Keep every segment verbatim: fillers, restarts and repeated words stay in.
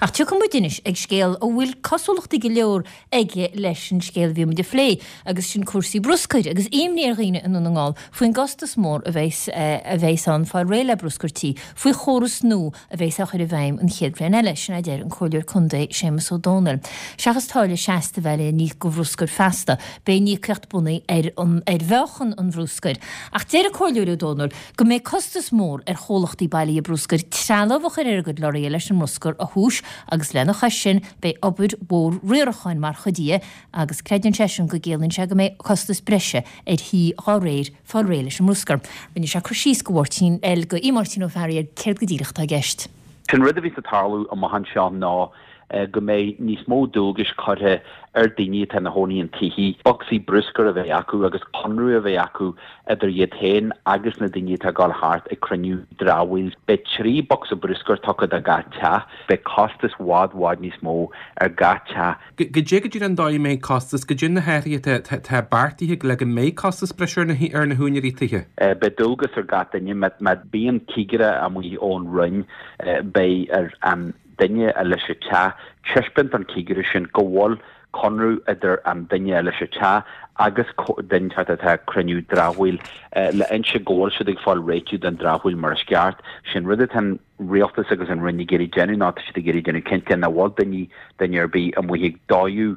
Ach tiocfaidh muid anois ag scéal a bhfuil cosúlachtaí go leor aige leis an scéal a bhí muid a phlé, agus sin cúrsaí bruscair, agus imní ar dhaoine i nDún na nGall faoin gcostas mór a bheas a bheas ann fáil réidh le bruscar tí, faoi chóras nua a bheas á chur i bhfeidhm an chéad bhliain eile, sin a deir an Comhairleoir Contae Séamus Ó Domhnaill. Seachas táille seasta a bheith le n-íoc do bhruscar feasta, beidh an íocaíocht bunaithe ar an ar mheáchan an bhruscair. Ach deir an Comhairleoir Ó Domhnaill go mbeidh costas mór ar chomhlachtaí bailithe bruscair trealamh a chur ar a gcuid lorraithe leis an mbruscar a thomhas agus lena chois sin beidh obair mhór riaracháin mar chuid dhe agus creideann seisean go gciallaíonn sé go mbeidh costas breise ar thithe dá réir fáil réidh leis an mbruscar. Rinne sé cur síos go Mháirtín L go Máirtín Ó Fearraigh ar céard go díreach atá i gceist. Sin rud a bhí ag tarlú amach anseo ná go mbeidh níos mó dualgais curtha ar daoine atá ina gcónaí in tithe, bocsaí bruscair a bheith acu agus conradh a bheith acu idir iad féin agus na daoine atá ag dul thart ag cruinniú dramhaíl. Beidh trí bocsa bruscair tugtha do gach teach, beidh costas i bhfad bhfad níos mó ar gach teach. Goidé go díreach an dóigh a mbeidh costas, goidé na hathruithe atá beartaithe le go mbeidh costas breise ar na ar na húinéirí tithe. Beidh dualgas ar gach duine má bíonn cigire amuigh ón Roinn beidh ar an duine a leis an teach taispeáint don chigire sin go bhfuil conradh idir an duine a leis an teach agus duine atá ag cruinniú dramhaíl le inse go bhfuil siad ag fáil réitiú den dramhaíl mar is ceart. Sin rud atá an rialtas agus an Roinn ag iarraidh déanamh ná tá siad ag iarraidh déanamh cinnte nach bhfuil daoine duine ar bith amuigh ag dóú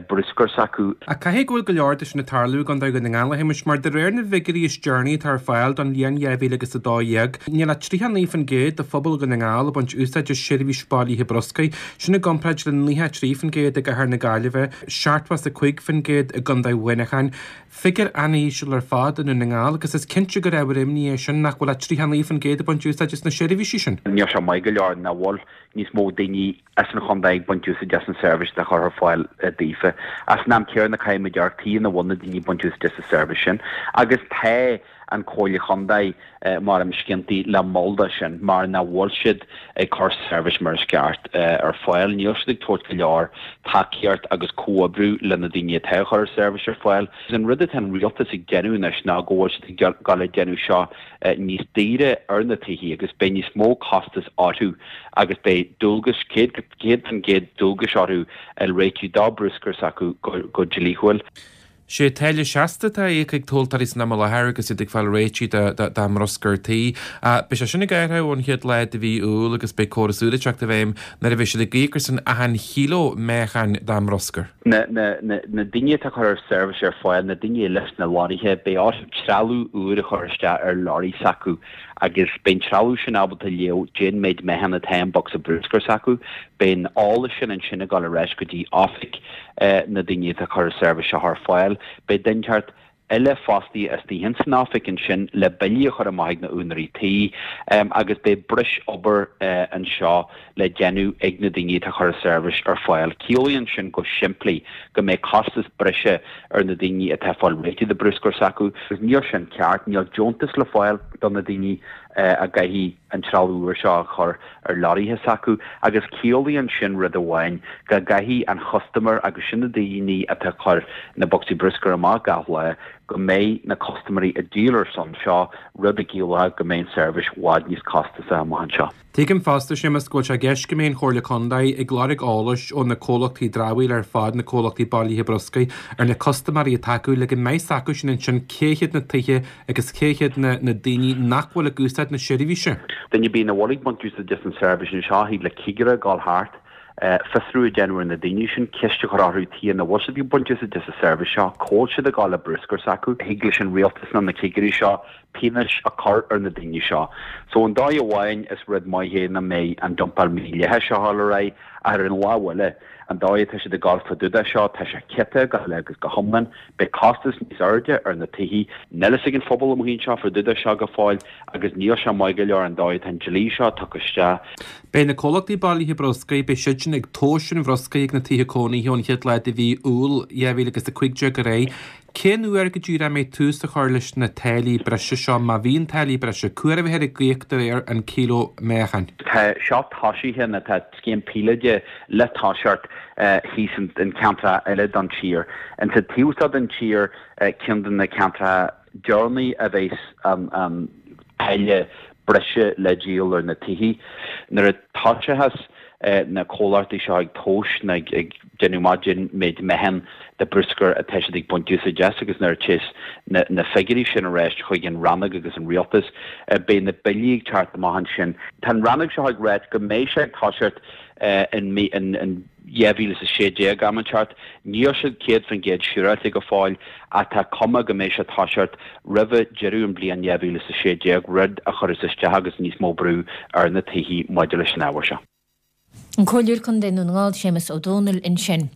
bruscar s'acu. Ach caithfidh go bhfuil go leor de sin ag tarlú i gContae Dhún na nGall, a Shéamais, mar de réir na bhfigiúirí is deireanaí atá ar fáil don bhliain dhá mhíle agus a dó dhéag, níl ach tríocha naoi faoin gcéad de phobal Dhún na nGall ag baint úsáid as seirbhís bailithe bruscair, sin i gcomparáid le nócha a trí faoin gcéad i gcathair na Gaillimhe, seachtó is a cúig faoin gcéad i gContae Mhuineacháin. Figiúr an-íseal ar fad i nDún na nGall agus is cinnte gur ábhar imní é sin nach bhfuil ach tríocha naoi faoin gcéad ag baint úsáid as na seirbhísí sin. Níl sé maith go leor nach bhfuil níos mó daoine as an chontae ag baint úsáid as an seirbhís atá curtha ar fáil daofa. Ach san am céanna caithfidh muid amharc tuige nach bhfuil na daoine ag baint úsáid as an seirbhís sin. Agus tá an Chomhairle Chontae mar sciantaí le moll de sin mar nach bhfuil siad ag cur seirbhís mar is ceart ar fáil. Níl siad ag tabhairt go leor tacaíocht agus comhoibriú le na daoine atá ag cur seirbhís ar fáil. An rud atá an rialtas ag déanamh anois ná go bhfuil siad ag dul ag déanamh seo níos daoire ar na tithe agus beidh níos mó costas orthu agus beidh dualgas céad céad faoin gcéad dualgas orthu a réitiú dá bruscar s'acu go dlíthiúil. Sé táille seasta atá á íoc ag tomhaltóirí san am i láthair agus iad ag fáil réitigh dá mbruscar tí. Beidh sé sin ag athrú ón chéad lá de mhí Iúil agus beidh córas úr ag teacht i bhfeidhm nuair a bheidh siad ag íoc ar son achan chíló meáchain dá mbruscar. Na daoine atá ag cur seirbhís ar fáil, na daoine leis na lorraithe, beidh orthu trealamh úr a chur isteach ar lorraí s'acu agus beidh an trealamh sin ábalta léamh cén méid meáchan atá i mbocsa bruscair s'acu. Beidh an eolas sin ansin ag dul ar ais go dtí oifig na daoine atá ag cur seirbhís seo ar fáil. Beidh duine inteacht eile fostaithe istigh ins an oifig ansin le billí a chur amach ag na úinéirí tí agus beidh breis obair anseo le déanamh ag na daoine atá ag cur seirbhís ar fáil. Ciallaíonn sin go simplí go mbeidh costas breise ar na daoine atá ag fáil réitigh de bruscar s'acu. Níl sin ceart, níl deontas le fáil do na daoine a gcaithfidh an trealamh úr seo a chur ar lorraithe s'acu agus ciallaíonn sin rud amháin go gcaithfidh an customer agus sin na daoine atá ag cur na bocsaí bruscair amach gach lá go mbeidh na custaiméirí ag díol ar son seo rud a chiallóidh go mbeidh an seirbhís i bhfad níos costasaí amach anseo. Tuigim fosta, Séamus, go bhfuil sé i gceist go mbeidh an Chomhairle Contae ag lorg eolais ó na comhlachtaí dramhaíola ar fad, na comhlachtaí bailithe bruscair, ar na custaiméirí atá acu le go mbeidh 's acu sin ansin cé hiad na tithe agus cé hiad na na daoine nach bhfuil ag úsáid na seirbhíse. Duine ar bith nach bhfuil ag baint úsáid as an seirbhís anseo, thig le cigire dul thart, fiosrú a dhéanamh ar na daoine sin, ceist a chur orthu tuige nach bhfuil siad ag baint úsáid as an seirbhís seo, cá bhfuil siad ag dul le bruscar s'acu. Thig leis an rialtas nó na cigirí seo pionóis a chur ar na daoine seo. So an dóigh amháin is rud maith é nach mbeidh an dumpáil mídhleathach seo ag dul ar aghaidh ach ar an lámh eile, an dóigh atá siad ag dul fá dtaobh de seo, tá sé ciotach go huile agus go hiomlán. Beidh costas níos airde ar na tithe. Níl fhios ag an phobal amuigh anseo fá dtaobh de seo go fóill agus níl sé maith go leor an dóigh atá an dlí seo tugtha isteach. Beidh na comhlachtaí bailithe bruscair, beidh siadsan ag tomhas an bhruscair ag na tithe cónaithe ón chéad lá de mhí Iúil dhá mhíle agus a cúig déag ar aghaidh. Cén uair go díreach a mbeidh tús á chur leis na táillí breise seo, má bhíonn táillí breise? Cá huair a bheifear ag íoc de réir an kilo meáchain? Tá seo tosaithe nó tá scéim píolóide le toiseacht thíos in ceantracha eile don tír. Insa taobh seo den tír, ceann de na ceantracha deireanaí a bheas an táille breise le díol ar na tithe. Nuair a toiseochas na comhlachtaí seo ag tomhas nó ag déanamh amach cén méid meatháin de bruscar atá siad ag baint úsáid as agus nuair a théas na figiúirí sin ar ais chuig an rannóg agus an rialtas, beidh na billí ag teacht amach ansin. Tá an rannóg seo ag ráit go mbeidh sé ag toiseacht in dhá mhíle is a sé déag am inteacht. Níl siad céad faoin gcéad siúráilte go fóill ach tá cuma go mbeidh sé ag toiseacht roimhe deireadh an bhliain dhá mhíle is a sé déag, rud a chuirfeas isteach agus níos mó brú ar na tithe maidir leis an ábhar seo. An Comhairleoir Contae Dhún na nGall, Séamus Ó Dónaill ansin.